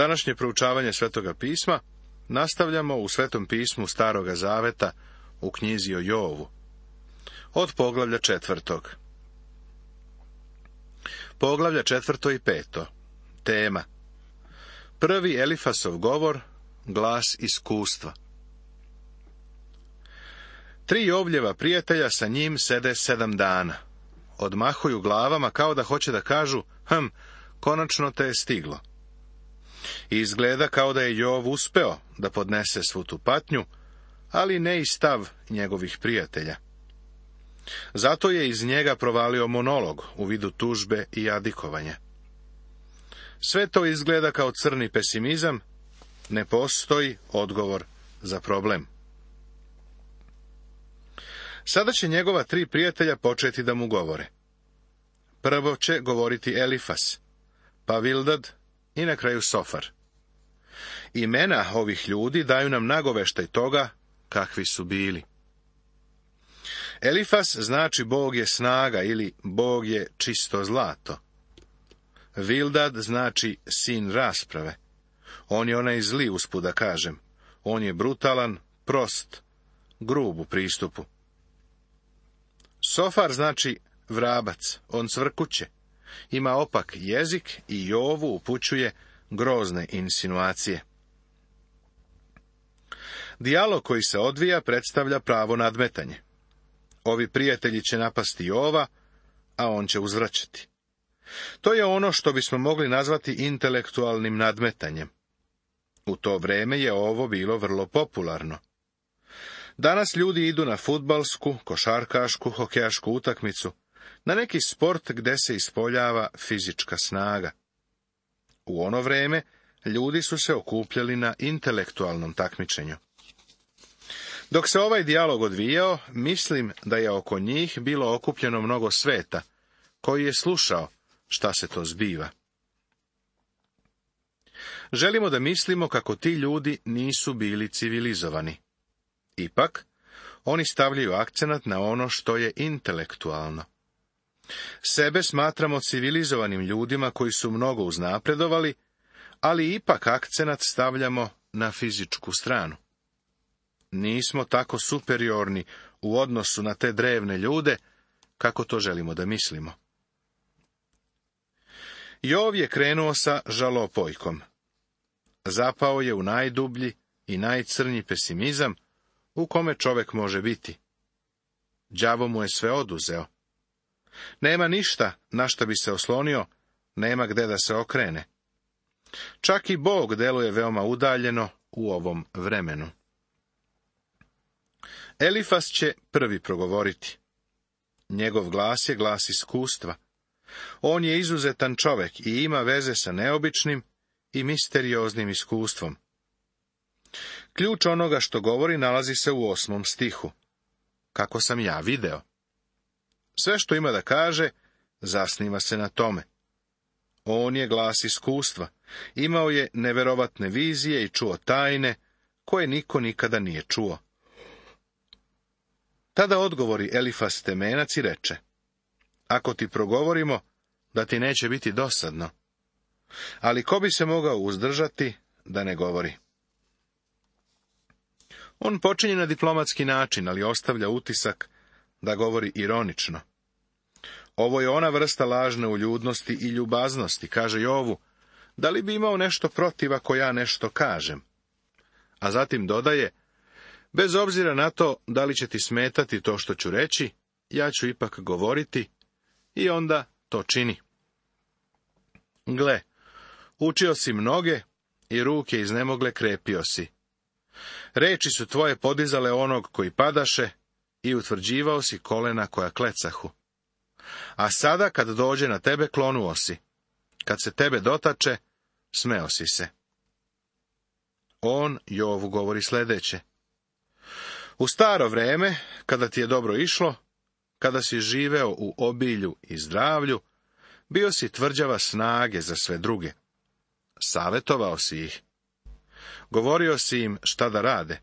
Današnje proučavanje Svetoga pisma nastavljamo u Svetom pismu Staroga zaveta u knjizi o Jovu, od poglavlja 4. Poglavlja 4. i 5. Tema: Prvi Elifasov govor, glas iskustva. 3 Jovljeva prijatelja sa njim sede 7 dana. Odmahuju glavama kao da hoće da kažu: konačno te je stiglo. I izgleda kao da je Jov uspeo da podnese svu tu patnju, ali ne i stav njegovih prijatelja. Zato je iz njega provalio monolog u vidu tužbe i jadikovanja. Sve to izgleda kao crni pesimizam, ne postoji odgovor za problem. Sada će njegova 3 prijatelja početi da mu govore. Prvo će govoriti Elifas, pa Bildad i na kraju Sofar. Imena ovih ljudi daju nam nagoveštaj toga kakvi su bili. Elifas znači Bog je snaga ili Bog je čisto zlato. Bildad znači sin rasprave. On je onaj zli, usput da kažem. On je brutalan, prost, grub u pristupu. Sofar znači vrabac, on cvrkuće. Ima opak jezik i Jovu upućuje grozne insinuacije. Dijalog koji se odvija predstavlja pravo nadmetanje. Ovi prijatelji će napasti Jova, a on će uzvraćati. To je ono što bismo mogli nazvati intelektualnim nadmetanjem. U to vreme je ovo bilo vrlo popularno. Danas ljudi idu na fudbalsku, košarkašku, hokejašku utakmicu, na neki sport gde se ispoljava fizička snaga. U ono vreme ljudi su se okupljali na intelektualnom takmičenju. Dok se ovaj dijalog odvijao, mislim da je oko njih bilo okupljeno mnogo sveta, koji je slušao šta se to zbiva. Želimo da mislimo kako ti ljudi nisu bili civilizovani. Ipak, oni stavljaju akcenat na ono što je intelektualno. Sebe smatramo civilizovanim ljudima koji su mnogo uznapredovali, ali ipak akcenat stavljamo na fizičku stranu. Nismo tako superiorni u odnosu na te drevne ljude, kako to želimo da mislimo. Jov je krenuo sa žalopojkom. Zapao je u najdublji i najcrnji pesimizam u kome čovek može biti. Đavo mu je sve oduzeo. Nema ništa na šta bi se oslonio, nema gde da se okrene. Čak i Bog deluje veoma udaljeno u ovom vremenu. Elifas će prvi progovoriti. Njegov glas je glas iskustva. On je izuzetan čovek i ima veze sa neobičnim i misterioznim iskustvom. Ključ onoga što govori nalazi se u 8. stihu. Kako sam ja video. Sve što ima da kaže, zasniva se na tome. On je glas iskustva. Imao je neverovatne vizije i čuo tajne, koje niko nikada nije čuo. Tada odgovori Elifas Temenac i reče: ako ti progovorimo, da ti neće biti dosadno. Ali ko bi se mogao uzdržati da ne govori? On počinje na diplomatski način, ali ostavlja utisak da govori ironično. Ovo je ona vrsta lažne uljudnosti i ljubaznosti, kaže Jovu, da li bi imao nešto protiv ako ja nešto kažem? A zatim dodaje: bez obzira na to da li će ti smetati to što ću reći, ja ću ipak govoriti, i onda to čini. Gle, učio si mnoge i ruke iznemogle krepio si. Reči su tvoje podizale onog koji padaše i utvrđivao si kolena koja klecahu. A sada kad dođe na tebe klonuo si. Kad se tebe dotače, smeo si se. On Jovu govori sledeće: u staro vreme, kada ti je dobro išlo, kada si živeo u obilju i zdravlju, bio si tvrđava snage za sve druge. Savetovao si ih. Govorio si im šta da rade.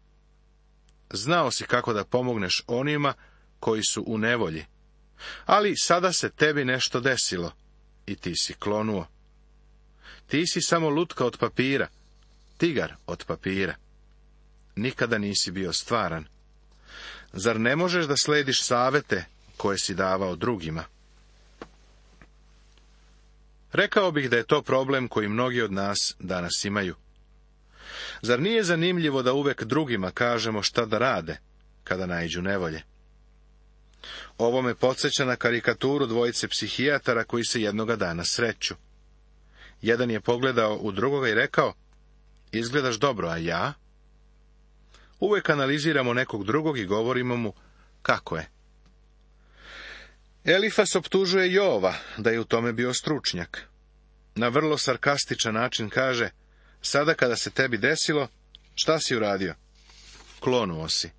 Znao si kako da pomogneš onima koji su u nevolji. Ali sada se tebi nešto desilo i ti si klonuo. Ti si samo lutka od papira, tigar od papira. Nikada nisi bio stvaran. Zar ne možeš da slediš savete koje si davao drugima? Rekao bih da je to problem koji mnogi od nas danas imaju. Zar nije zanimljivo da uvek drugima kažemo šta da rade, kada naiđu nevolje? Ovo me podsjeća na karikaturu dvojice psihijatara koji se jednoga dana sreću. Jedan je pogledao u drugoga i rekao, izgledaš dobro, a ja? Uvek analiziramo nekog drugog i govorimo mu kako je. Elifas optužuje Jova da je u tome bio stručnjak. Na vrlo sarkastičan način kaže, sada kada se tebi desilo, šta si uradio? Klonuo si.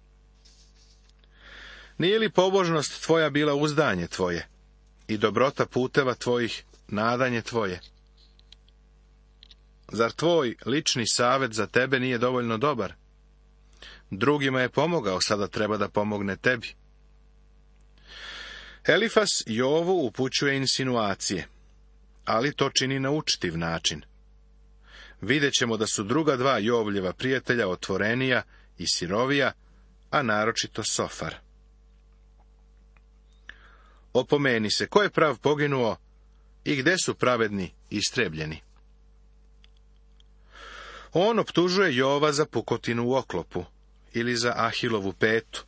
Nije li pobožnost tvoja bila uzdanje tvoje i dobrota puteva tvojih nadanje tvoje? Zar tvoj lični savet za tebe nije dovoljno dobar? Drugima je pomogao, sada treba da pomogne tebi. Elifas Jovu upućuje insinuacije, ali to čini na učtiv način. Vidjet ćemo da su druga dva Jovljeva prijatelja otvorenija i sirovija, a naročito Sofar. Opomeni se, ko je prav poginuo i gde su pravedni istrebljeni? On optužuje Jova za pukotinu u oklopu ili za Ahilovu petu.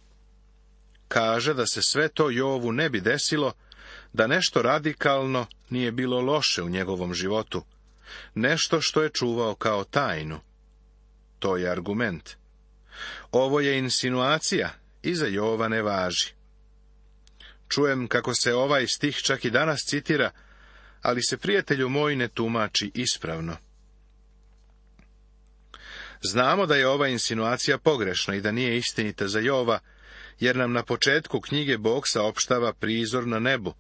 Kaže da se sve to Jovu ne bi desilo, da nešto radikalno nije bilo loše u njegovom životu, nešto što je čuvao kao tajnu. To je argument. Ovo je insinuacija i za Jova ne važi. Čujem kako se ovaj stih čak i danas citira, ali se, prijatelju moj, ne tumači ispravno. Znamo da je ova insinuacija pogrešna i da nije istinita za Jova, jer nam na početku knjige Bog saopštava prizor na nebu,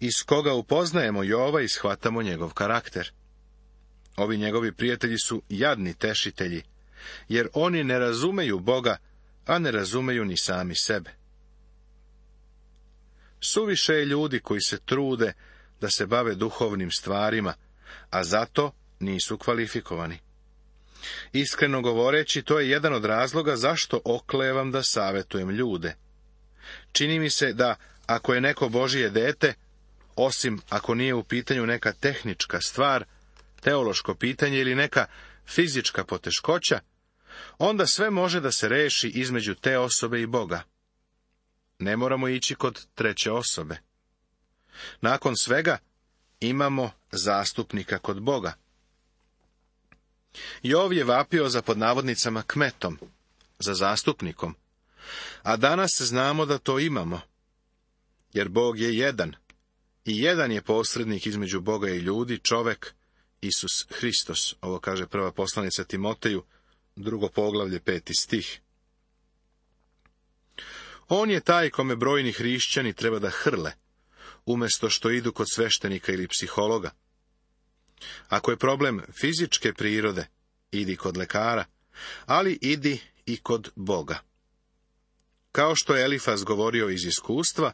iz koga upoznajemo Jova i shvatamo njegov karakter. Ovi njegovi prijatelji su jadni tešitelji, jer oni ne razumeju Boga, a ne razumeju ni sami sebe. Suviše je ljudi koji se trude da se bave duhovnim stvarima, a zato nisu kvalifikovani. Iskreno govoreći, to je jedan od razloga zašto oklevam da savetujem ljude. Čini mi se da, ako je neko Božije dete, osim ako nije u pitanju neka tehnička stvar, teološko pitanje ili neka fizička poteškoća, onda sve može da se reši između te osobe i Boga. Ne moramo ići kod treće osobe. Nakon svega, imamo zastupnika kod Boga. Jov je vapio za pod navodnicama kmetom, za zastupnikom, a danas znamo da to imamo, jer Bog je jedan, i jedan je posrednik između Boga i ljudi, čovek, Isus Hristos. Ovo kaže prva poslanica Timoteju, 2. poglavlje, 5. stih. On je taj kome brojni hrišćani treba da hrle, umjesto što idu kod sveštenika ili psihologa. Ako je problem fizičke prirode, idi kod lekara, ali idi i kod Boga. Kao što je Elifas govorio iz iskustva,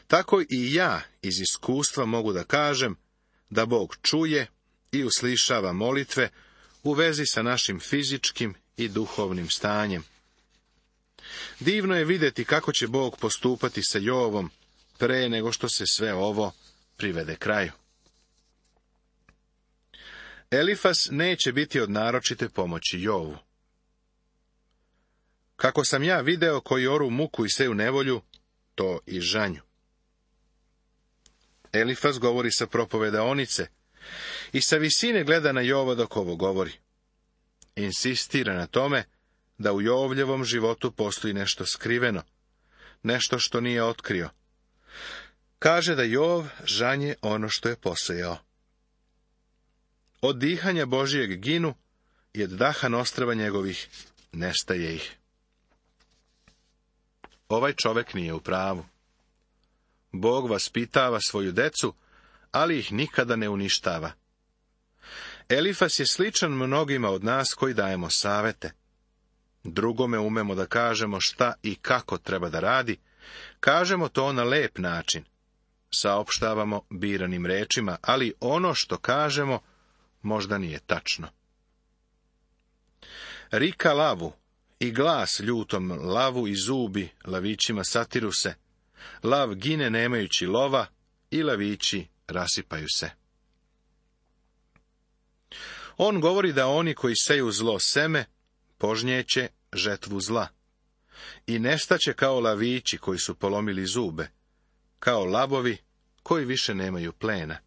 tako i ja iz iskustva mogu da kažem da Bog čuje i uslišava molitve u vezi sa našim fizičkim i duhovnim stanjem. Divno je vidjeti kako će Bog postupati sa Jovom pre nego što se sve ovo privede kraju. Elifas neće biti od naročite pomoći Jovu. Kako sam ja video koji oru muku i seju nevolju, to i žanju. Elifas govori sa propovedaonice i sa visine gleda na Jova dok ovo govori. Insistira na tome da u Jovljevom životu postoji nešto skriveno, nešto što nije otkrio. Kaže da Jov žanje ono što je posejao. Od dihanja Božijeg ginu i od daha nostrava njegovih nestaje ih. Ovaj čovek nije u pravu. Bog vaspitava svoju decu, ali ih nikada ne uništava. Elifas je sličan mnogima od nas koji dajemo savete. Drugome umemo da kažemo šta i kako treba da radi, kažemo to na lep način. Saopštavamo biranim rečima, ali ono što kažemo možda nije tačno. Rika lavu i glas ljutom lavu i zubi lavićima satiruse, lav gine nemajući lova i lavići rasipaju se. On govori da oni koji seju zlo seme, požnjeće žetvu zla. I nestaće kao lavići koji su polomili zube, kao lavovi koji više nemaju plena.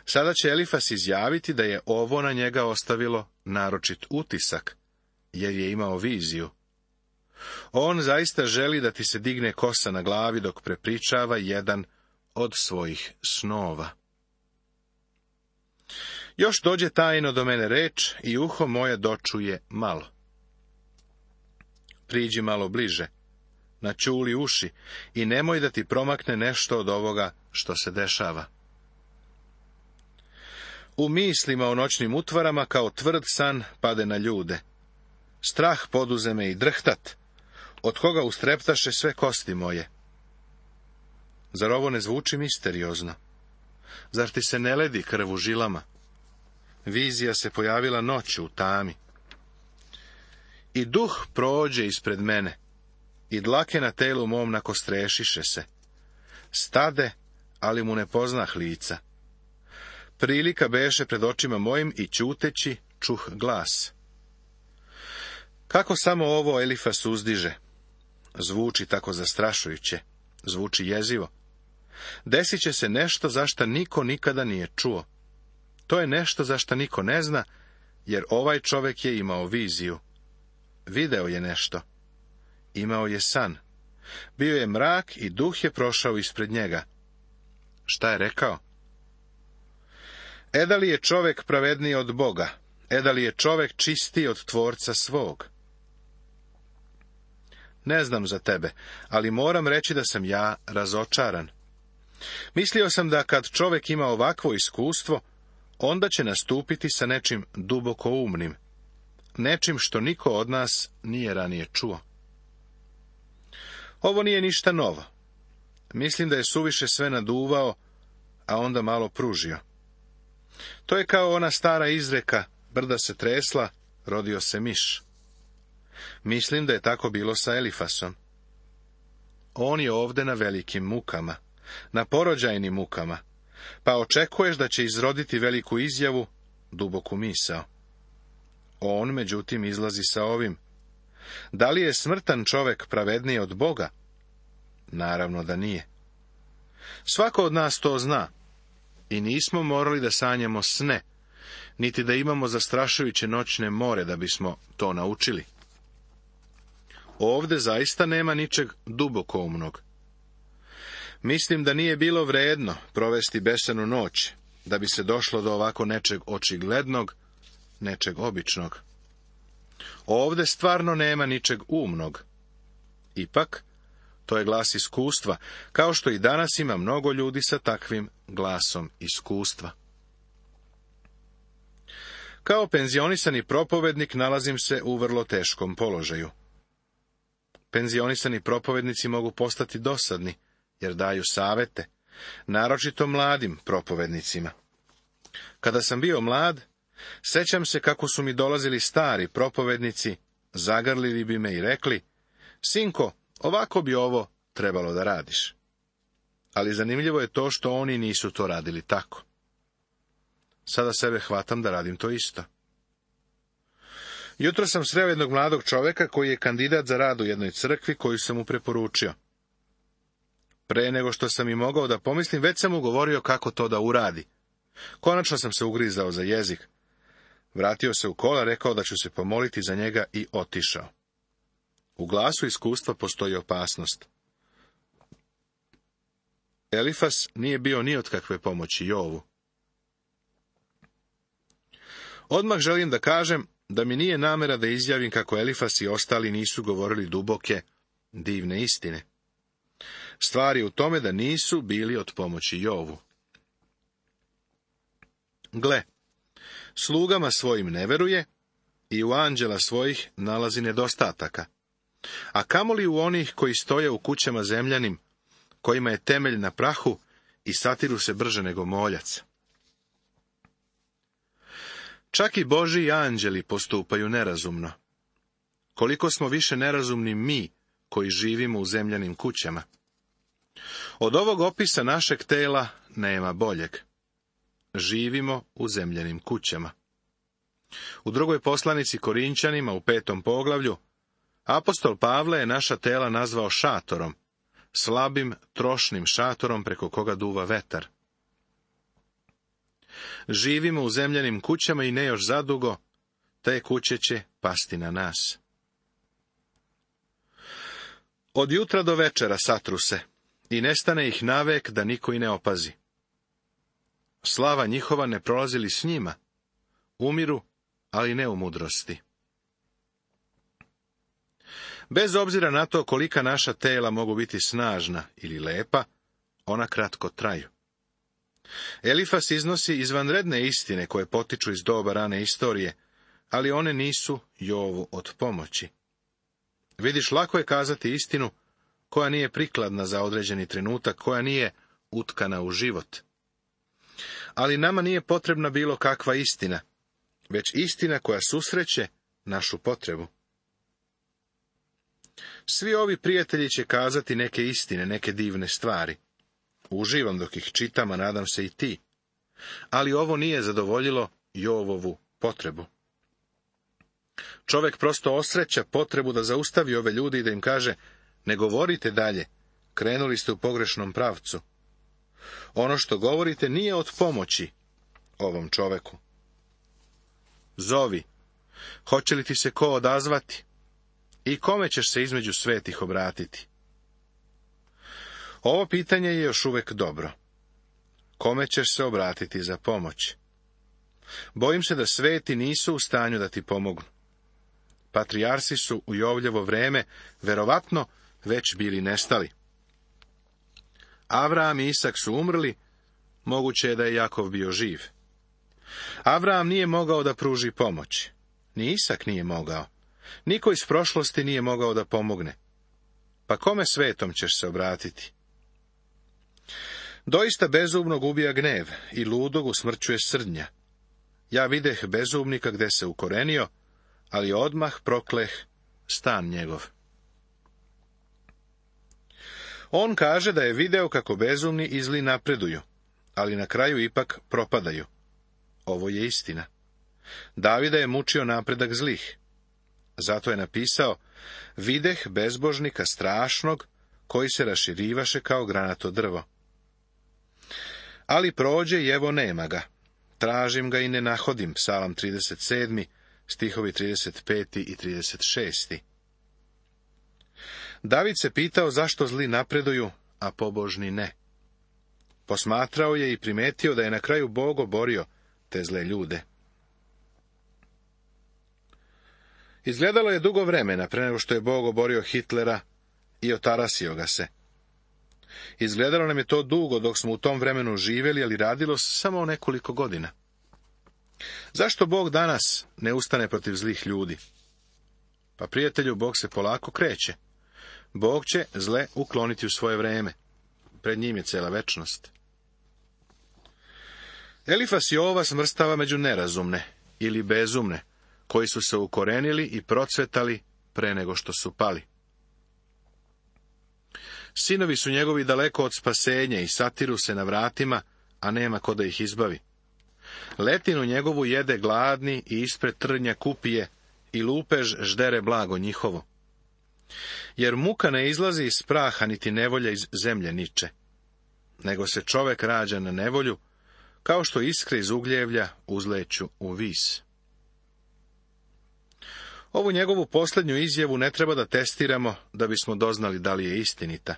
Sada će Elifas izjaviti da je ovo na njega ostavilo naročit utisak, jer je imao viziju. On zaista želi da ti se digne kosa na glavi dok prepričava jedan od svojih snova. Još dođe tajno do mene reč i uho moje dočuje malo. Priđi malo bliže, načuli uši i nemoj da ti promakne nešto od ovoga što se dešava. U mislima o noćnim utvarama kao tvrd san pade na ljude. Strah poduze me i drhtat, od koga ustreptaše sve kosti moje. Zar ovo ne zvuči misteriozno? Zar ti se ne ledi krv u žilama? Vizija se pojavila noću u tami. I duh prođe ispred mene, i dlake na telu mom nakostrešiše se. Stade, ali mu ne poznah lica. Prilika beše pred očima mojim i ćuteći čuh glas. Kako samo ovo Elifas uzdiže? Zvuči tako zastrašujuće, zvuči jezivo. Desit će se nešto zašta niko nikada nije čuo. To je nešto zašta niko ne zna, jer ovaj čovjek je imao viziju. Video je nešto. Imao je san. Bio je mrak i duh je prošao ispred njega. Šta je rekao? Da li je čovjek pravedniji od Boga? Da li je čovjek čistiji od tvorca svog? Ne znam za tebe, ali moram reći da sam ja razočaran. Mislio sam da kad čovjek ima ovakvo iskustvo, onda će nastupiti sa nečim duboko umnim, nečim što niko od nas nije ranije čuo. Ovo nije ništa novo. Mislim da je suviše sve naduvao, a onda malo pružio. To je kao ona stara izreka, brda se tresla, rodio se miš. Mislim da je tako bilo sa Elifasom. On je ovde na velikim mukama, na porođajnim mukama, pa očekuješ da će izroditi veliku izjavu, duboku misao. On, međutim, izlazi sa ovim. Da li je smrtan čovjek pravedniji od Boga? Naravno da nije. Svako od nas to zna. I nismo morali da sanjamo sne, niti da imamo zastrašujuće noćne more da bismo to naučili. Ovde zaista nema ničeg dubokoumnog. Mislim da nije bilo vredno provesti besanu noć, da bi se došlo do ovako nečeg očiglednog, nečeg običnog. Ovde stvarno nema ničeg umnog. Ipak, to je glas iskustva, kao što i danas ima mnogo ljudi sa takvim glasom iskustva. Kao penzionisani propovednik nalazim se u vrlo teškom položaju. Penzionisani propovednici mogu postati dosadni, jer daju savete, naročito mladim propovednicima. Kada sam bio mlad, sećam se kako su mi dolazili stari propovednici, zagrlili bi me i rekli, sinko, ovako bi ovo trebalo da radiš. Ali zanimljivo je to što oni nisu to radili tako. Sada sebe hvatam da radim to isto. Jutro sam sreo jednog mladog čovjeka koji je kandidat za rad u jednoj crkvi koju sam mu preporučio. Pre nego što sam i mogao da pomislim, već sam mu govorio kako to da uradi. Konačno sam se ugrizao za jezik. Vratio se u kola, rekao da ću se pomoliti za njega i otišao. U glasu iskustva postoji opasnost. Elifas nije bio ni od kakve pomoći Jovu. Odmah želim da kažem da mi nije namera da izjavim kako Elifas i ostali nisu govorili duboke, divne istine. Stvar je u tome da nisu bili od pomoći Jovu. Gle, slugama svojim ne veruje i u anđela svojih nalazi nedostataka. A kamoli u onih koji stoje u kućama zemljanim, kojima je temelj na prahu i satiru se brže nego moljac. Čak i Božji anđeli postupaju nerazumno. Koliko smo više nerazumni mi, koji živimo u zemljanim kućama. Od ovog opisa našeg tela nema boljeg. Živimo u zemljanim kućama. U drugoj poslanici Korinćanima, u 5. poglavlju, apostol Pavle je naša tela nazvao šatorom, slabim, trošnim šatorom preko koga duva vetar. Živimo u zemljanim kućama i ne još zadugo, te kuće će pasti na nas. Od jutra do večera satru se, i nestane ih navek da niko i ne opazi. Slava njihova ne prolazi li s njima? Umiru, ali ne u mudrosti. Bez obzira na to kolika naša tela mogu biti snažna ili lepa, ona kratko traju. Elifas iznosi izvanredne istine koje potiču iz doba rane istorije, ali one nisu Jovu od pomoći. Vidiš, lako je kazati istinu koja nije prikladna za određeni trenutak, koja nije utkana u život. Ali nama nije potrebna bilo kakva istina, već istina koja susreće našu potrebu. Svi ovi prijatelji će kazati neke istine, neke divne stvari. Uživam dok ih čitam, a nadam se i ti. Ali ovo nije zadovoljilo Jovovu potrebu. Čovjek prosto osreća potrebu da zaustavi ove ljude i da im kaže: ne govorite dalje, krenuli ste u pogrešnom pravcu. Ono što govorite nije od pomoći ovom čoveku. Zovi, hoće li ti se ko odazvati? I kome ćeš se između svetih obratiti? Ovo pitanje je još uvijek dobro. Kome ćeš se obratiti za pomoć? Bojim se da sveti nisu u stanju da ti pomognu. Patrijarsi su u Jovljevo vreme verovatno već bili nestali. Avram i Isak su umrli, moguće je da je Jakov bio živ. Avram nije mogao da pruži pomoć. Ni Isak nije mogao. Niko iz prošlosti nije mogao da pomogne. Pa kome svetom ćeš se obratiti? Doista bezumnog ubija gnev i ludog usmrćuje srdnja. Ja videh bezumnika gde se ukorenio, ali odmah prokleh stan njegov. On kaže da je video kako bezumni i zli napreduju, ali na kraju ipak propadaju. Ovo je istina. Davida je mučio napredak zlih. Zato je napisao: videh bezbožnika strašnog, koji se raširivaše kao granato drvo. Ali prođe i evo nema ga. Tražim ga i ne nahodim. Psalam 37, stihovi 35 i 36. David se pitao zašto zli napreduju, a pobožni ne. Posmatrao je i primetio da je na kraju Bog oborio te zle ljude. Izgledalo je dugo vremena pre nego što je Bog oborio Hitlera i otarasio ga se. Izgledalo nam je to dugo dok smo u tom vremenu živjeli, ali radilo se samo o nekoliko godina. Zašto Bog danas ne ustane protiv zlih ljudi? Pa, prijatelju, Bog se polako kreće. Bog će zle ukloniti u svoje vreme. Pred njim je cela večnost. Elifas Jova smrstava među nerazumne ili bezumne, koji su se ukorenili i procvetali pre nego što su pali. Sinovi su njegovi daleko od spasenja i satiru se na vratima, a nema ko da ih izbavi. Letinu njegovu jede gladni i ispred trnja kupije i lupež ždere blago njihovo. Jer muka ne izlazi iz praha, niti nevolja iz zemlje niče, nego se čovek rađa na nevolju, kao što iskre iz ugljevlja uzleću u vis. Ovu njegovu posljednju izjavu ne treba da testiramo da bismo doznali da li je istinita.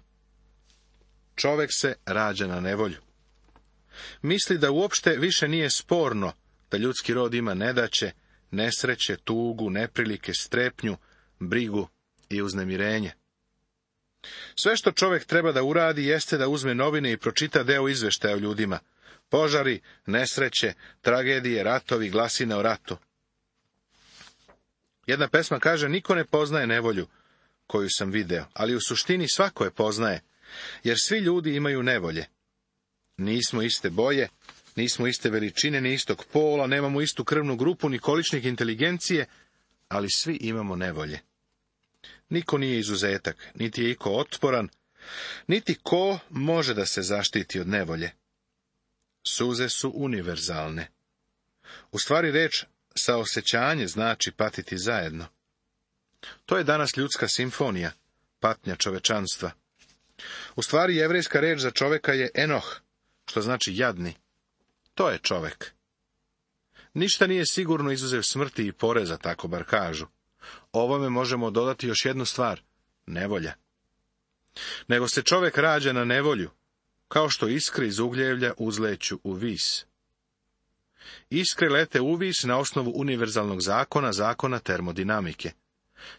Čovek se rađa na nevolju. Misli da uopšte više nije sporno da ljudski rod ima nedaće, nesreće, tugu, neprilike, strepnju, brigu i uznemirenje. Sve što čovjek treba da uradi jeste da uzme novine i pročita deo izveštaja o ljudima. Požari, nesreće, tragedije, ratovi, glasine o ratu. Jedna pesma kaže: niko ne poznaje nevolju koju sam video, ali u suštini svako je poznaje, jer svi ljudi imaju nevolje. Nismo iste boje, Nismo iste veličine, ni istog pola, nemamo istu krvnu grupu, ni količnik inteligencije, ali svi imamo nevolje. Niko nije izuzetak, niti je iko otporan, niti ko može da se zaštiti od nevolje. Suze su univerzalne. U stvari reč saosjećanje znači patiti zajedno. To je danas ljudska simfonija, patnja čovečanstva. U stvari jevrejska reč za čoveka je enoh, što znači jadni. To je čovek. Ništa nije sigurno izuzev smrti i poreza, tako bar kažu. Ovome možemo dodati još jednu stvar, nevolja. Nego se čovek rađa na nevolju, kao što iskre iz ugljevlja uzleću u vis. Iskre lete u vis na osnovu univerzalnog zakona, zakona termodinamike.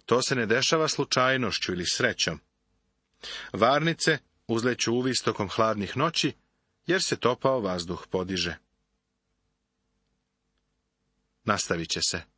To se ne dešava slučajnošću ili srećom. Varnice uzleću u vis tokom hladnih noći, jer se topao vazduh podiže. Nastavit će se.